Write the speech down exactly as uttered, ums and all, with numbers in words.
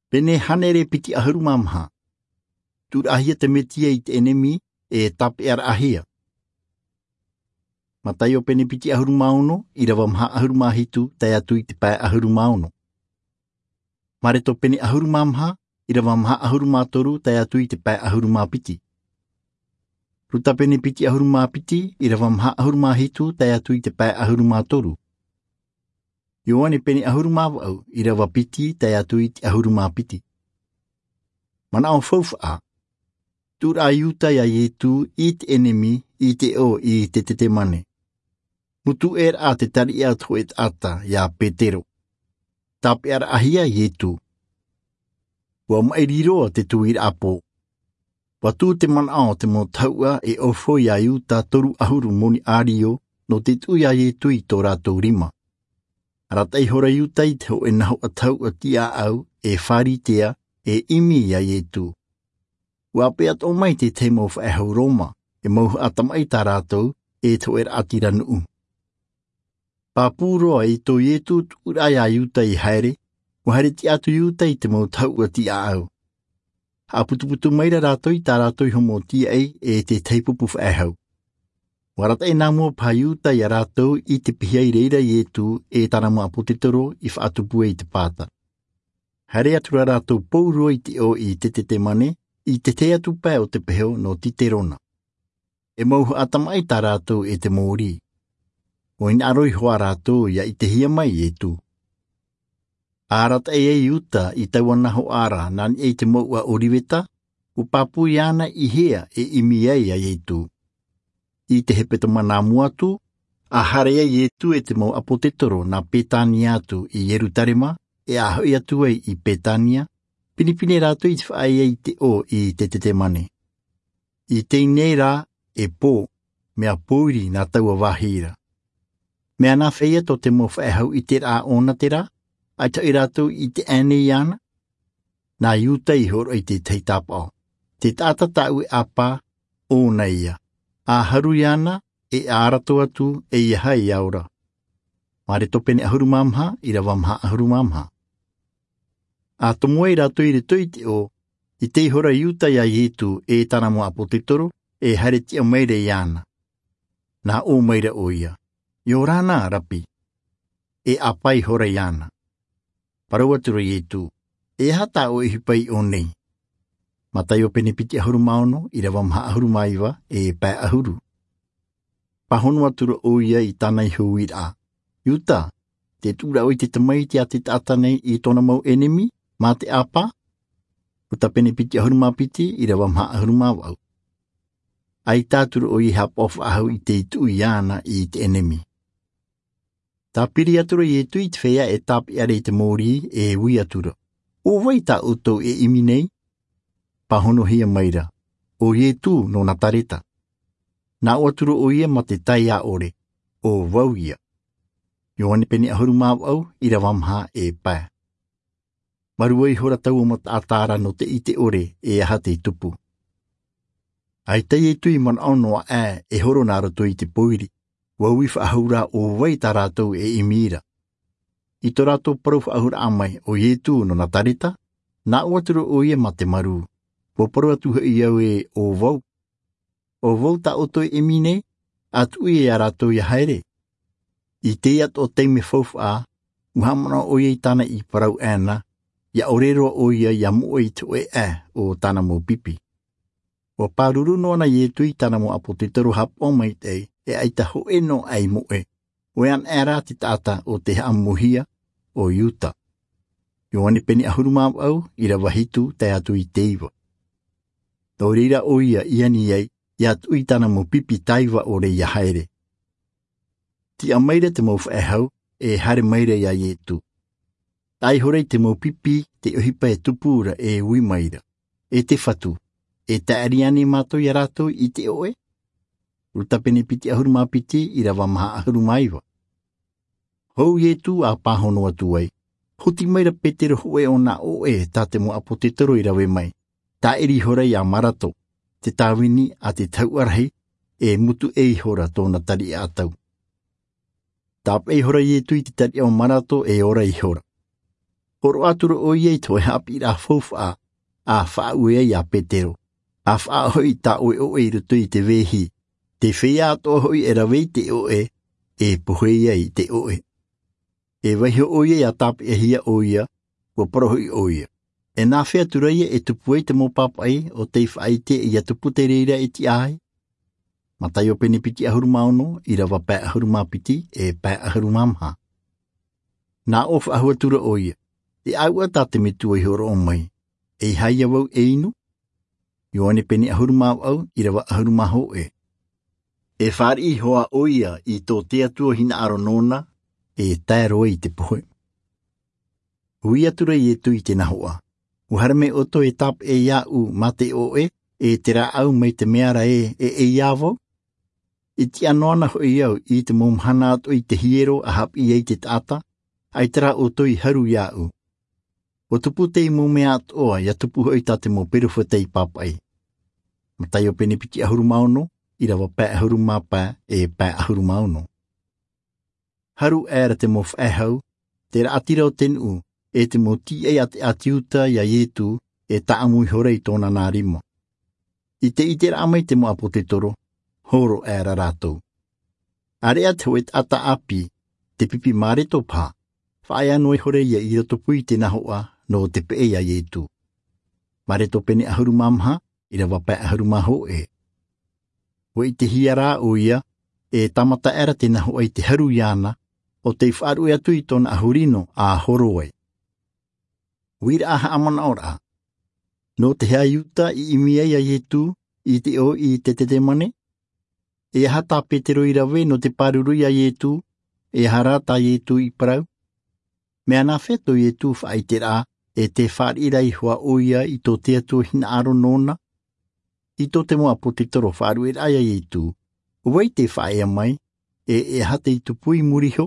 Pene hānere piti ʻahuru mā maha. Tuʻuraʻahia te Mesia i te ʻenemi, e tāpeʻaraʻahia. Mataio pene piti ʻahuru mā ono, ʻirava maha ʻahuru mā hitu, tae atu i te pae ʻahuru mā ono. Mareko pene ʻahuru mā maha, ʻirava maha ʻahuru mā toru, tae atu i te pae ʻahuru mā piti. Luka pene piti ʻahuru mā piti, ʻirava maha ʻahuru mā hitu, tae atu i te pae ʻahuru mā toru. Ioane pene ʻahuru mā vaʻu, ʻirava piti, tae atu i te ʻahuru mā piti. Manaʻo faufaʻa. Tuʻuraʻa Iuta ia Ietu i te ʻenemi, i te ʻō i te Tetemane. Mutu ʻē raʻa te tariʻa te hōʻē taʻata, ia Petero. Tāpeʻaraʻahia Ietu. ʻUa maʻiri roa te tuiraʻa pō. ʻUa tuʻu te manaʻo o te mau tahuʻa e ʻaufau ia Iuta toru ʻahuru moni ʻārio nō te tuʻu ia Ietu i tō rātou rima. Arataʻi ihora Iuta i te hōʻē nahoʻa tahuʻa tiʻaʻau, e Pharisea, e ʻimi ia Ietu. ʻUa ʻāpeʻa atoʻa mai te tahi mau faʻehau Roma, e mauhaʻa tamaʻi tā rātou, e te hōʻē raʻatira nuʻu. Pāpū roa i tō Ietu tuʻuraʻa ia Iuta i haere, ʻua haere tiʻa atu Iuta i te mau tahuʻa tiʻaʻau. Haʻaputuputu maira rātou i tā rātou iho mau tīaʻi e te tahi pupu faʻehau. ʻUa arataʻi nā mua paha Iuta ia rātou i te pihaʻi i reira Ietu e tāna mau ʻāpōsetolo i faʻatupu ai i te pāta. Haere atu rā rātou pauroa i te ʻō i te Tetemane, i te tahi atu pae o te peho nō Kiterona. E mauhaʻa tamaʻi tā rātou e te mōrī. ʻUa hinaʻaro iho ā rātou ia ʻitehia mai Ietu. ʻA arataʻi ai Iuta i taua nahoʻa ra nā niʻa i te mouʻa ʻōriveta, ʻua pāpū iāna i hea e ʻimi ai ia Ietu. I te hepetoma nā mua atu, ʻa haere ai Ietu e te mau ʻāpōsetolo nā Petania atu i Ierutarema, e ʻa hoʻi atu ai i Petania, pinepine rātou i te faʻaea i te ʻō i te Tetemane. I teie nei rā, e pō, mea pōiri nā taua vāhi ra. Mea nāfea ia tō te mau faʻehau ʻiteraʻa ʻōna terā, ʻaita hoʻi rātou i ʻite aʻe nei iāna? Nā Iuta i hōroʻa i te tahi tāpaʻo. Te taʻata tāʻu e ʻāpā, ʻōna ia. ʻA haru iāna, e ʻa arataʻi atu, ʻeiaha ia ora. Mareko pene ʻahuru mā maha, ʻirava maha ʻahuru mā maha. ʻA tomo ai rātou i roto i te ʻō, ʻite ihora Iuta ia Ietu e tāna mau ʻāpōsetolo, e haere tiʻa maira iāna. Nā ʻō maira ʻoia, ʻIa ora na, Rapi. E ʻāpā ihora iāna. Parau atu ra Ietu, E aha tā ʻoe ʻohipa i ʻō nei? Mataio pene piti ʻahuru mā ono, ʻirava maha ʻahuru mā iva, e pae ʻahuru. Pāhono atu ra ʻoia i tāna iho uiraʻa, Iuta, tē tuʻu ra ʻoe i te tamaiti a te taʻata nei i tōna mau ʻenemi, mā te ʻāpā? Luka pene piti ʻahuru mā piti, ʻirava maha ʻahuru mā vaʻu. ʻAita atu ra ʻoia e haʻapaʻo faʻahou i te tuʻu iāna i te ʻenemi. Tāpiri atu ra Ietu i te feiā e tāpeʻa ra i te mōrī, e ui atu ra, ʻO vai tā ʻoutou e ʻimi nei? Pāhonohia maira, ʻO Ietu nō Nazareta. Nā ʻō atu ra ʻoia mā te taiā ʻore, ʻO vau ia. Ioane pene ʻahuru mā vaʻu, ʻirava maha e pae. Marua ihora taua mau taʻata ra nō te ʻite ʻore e aha tei tupu. ʻAita Ietu i manaʻo noa aʻe e horo nā roto i te pōiri, ʻua ui faʻahou rā ʻo vai tā rātou e ʻimi ra. I tō rātou parau faʻahouraʻa mai, ʻO Ietu nō Nazareta, nā ʻō atu ra ʻoia mā te marū, ʻUa parau atu hoʻi au ē, ʻO vau. ʻO vau tā ʻoutou e ʻimi nei? ʻA tuʻu ia rātou ʻia haere. I teie atoʻa taime faufaʻa, ʻua haʻamanaʻo ʻoia i tāna i parau aʻena, ʻia ʻore roa ʻoia ʻia moʻe i te hōʻē ʻae o tāna mau pipi. ʻUa pāruru noa na Ietu i tāna mau ʻāpōsetolo haʻapaʻo maitaʻi, e ʻaita hōʻē noa ʻae i moʻe. ʻO ʻoia anaʻe rā te taʻata ʻo tē haʻamauhia, ʻo Iuta. Ioane pene ʻahuru mā vaʻu, ʻirava hitu tae atu i te iva. Nō reira ʻoia i ani ai, ʻia tuʻu i tāna mau pipi taiva ʻore ʻia haere. Tiʻa maira te mau faʻehau, e haere maira ia Ietu. Taʻa ihora i te mau pipi te ʻohipa e tupu ra, e ui maira, E te Fatu, e tae ʻāreʻa nei mātou ia rātou i te ʻoʻe? Luka pene piti ʻahuru mā piti, ʻirava maha ʻahuru mā iva. Hou Ietu ʻa pāhono atu ai, hoti maira Petero hōʻē o nā ʻoʻe tā te mau ʻāpōsetolo i rave mai, tāʻiri ihora ia Mareko, te tāvini a te tahuʻa rahi, e mutu ʻē ihora tōna tariʻa ʻatau. Tāpeʻa ihora Ietu i te tariʻa o Mareko e ora ihora. Horoʻa atu ra ʻo ia i te hoʻe haʻapiʻiraʻa faufaʻa, a faʻaue ai iā petero, a faʻahoʻi i tā ʻoe ʻoʻe i roto i te vāhi. Te feiā atoʻa hoʻi e rave i te ʻoʻe, e pohe ai i te ʻoʻe. E vaiho ʻo ia ia tāpeʻahia ʻo ia, ua parau hoʻi ʻo ia, e nāfea atu ra ia e tupu ai te mau pāpaʻi ʻo tei faʻaʻite ia tupu te reira e tiʻa ai? Mataio pene piti ʻahuru mā ono, ʻirava pae ʻahuru mā piti e pae ʻahuru mā maha. Nā ʻō faʻahou atu ra ʻo ia, e ʻāuʻa tā te metua i horoʻa mai, e ʻeiaha vau e inu? Ioane pene ʻahuru mā vaʻu, ʻirava ʻahuru mā hōʻē. E fāriʻi iho ā ʻo ia i tō te atua hinaʻaro nōna, e tae roa i te pohe. Ui atu ra iesu i te nahoʻa, ua haere mai ʻoutou e tāpeʻa iāʻu mā te ʻoʻe, e te rāʻau mai te mea ra ē, e ʻeiaha vau? I tiʻa noa na hoʻi au i te mau mahana atoʻa i te hiero a haʻapiʻi ai te taʻata, ʻaita rā ʻoutou i haru iāʻu. Ua tupu teie mau mea atoʻa ia tupu hoʻi tā te mau peropheta i pāpaʻi. Mataio pene piti ʻahuru mā ono, ʻirava pae ʻahuru mā pae e pae ʻahuru mā ono. Haru aʻera te mau faʻehau, te raʻatira o te nuʻu, e te mau tīaʻi a te ʻāti iuda iā iesu, e taʻamu ihora i tōna nā rima. I te ʻiteraʻa mai te mau ʻāpōsetolo, horo aʻera rātou. ʻĀreʻa te hoʻe taʻata ʻāpī, te pipi mareto paha, faʻaea noa ihora ia i roto pū i te nahoʻa nō te peʻe iā iesu. Mareto pene ʻahuru mā maha, ʻirava pae ʻahuru mā hōʻē. Ua ʻitehia rā ʻo ia, e tāmata aʻera te nahoʻa i te haru iāna, ʻo tei faʻaruʻe atu i tōna ʻahu rino a horo ai. Uiraʻa haʻamanaʻoraʻa. Nō te aha iuda i ʻimi ai iā iesu i te ʻō i getsemane? E aha tā petero i rave nō te pāruru iā iesu? E aha rā tā iesu i parau? Mea nāfea tō iesu faʻaʻiteraʻa, e te fāriʻi ra iho ā ʻo ia i tō te atua hinaʻaro nōna? I tō te mau ʻāpōsetolo faʻaruʻeraʻa iā iesu, ʻo vai tē faʻaea mai, e e aha tei tupu i muri iho?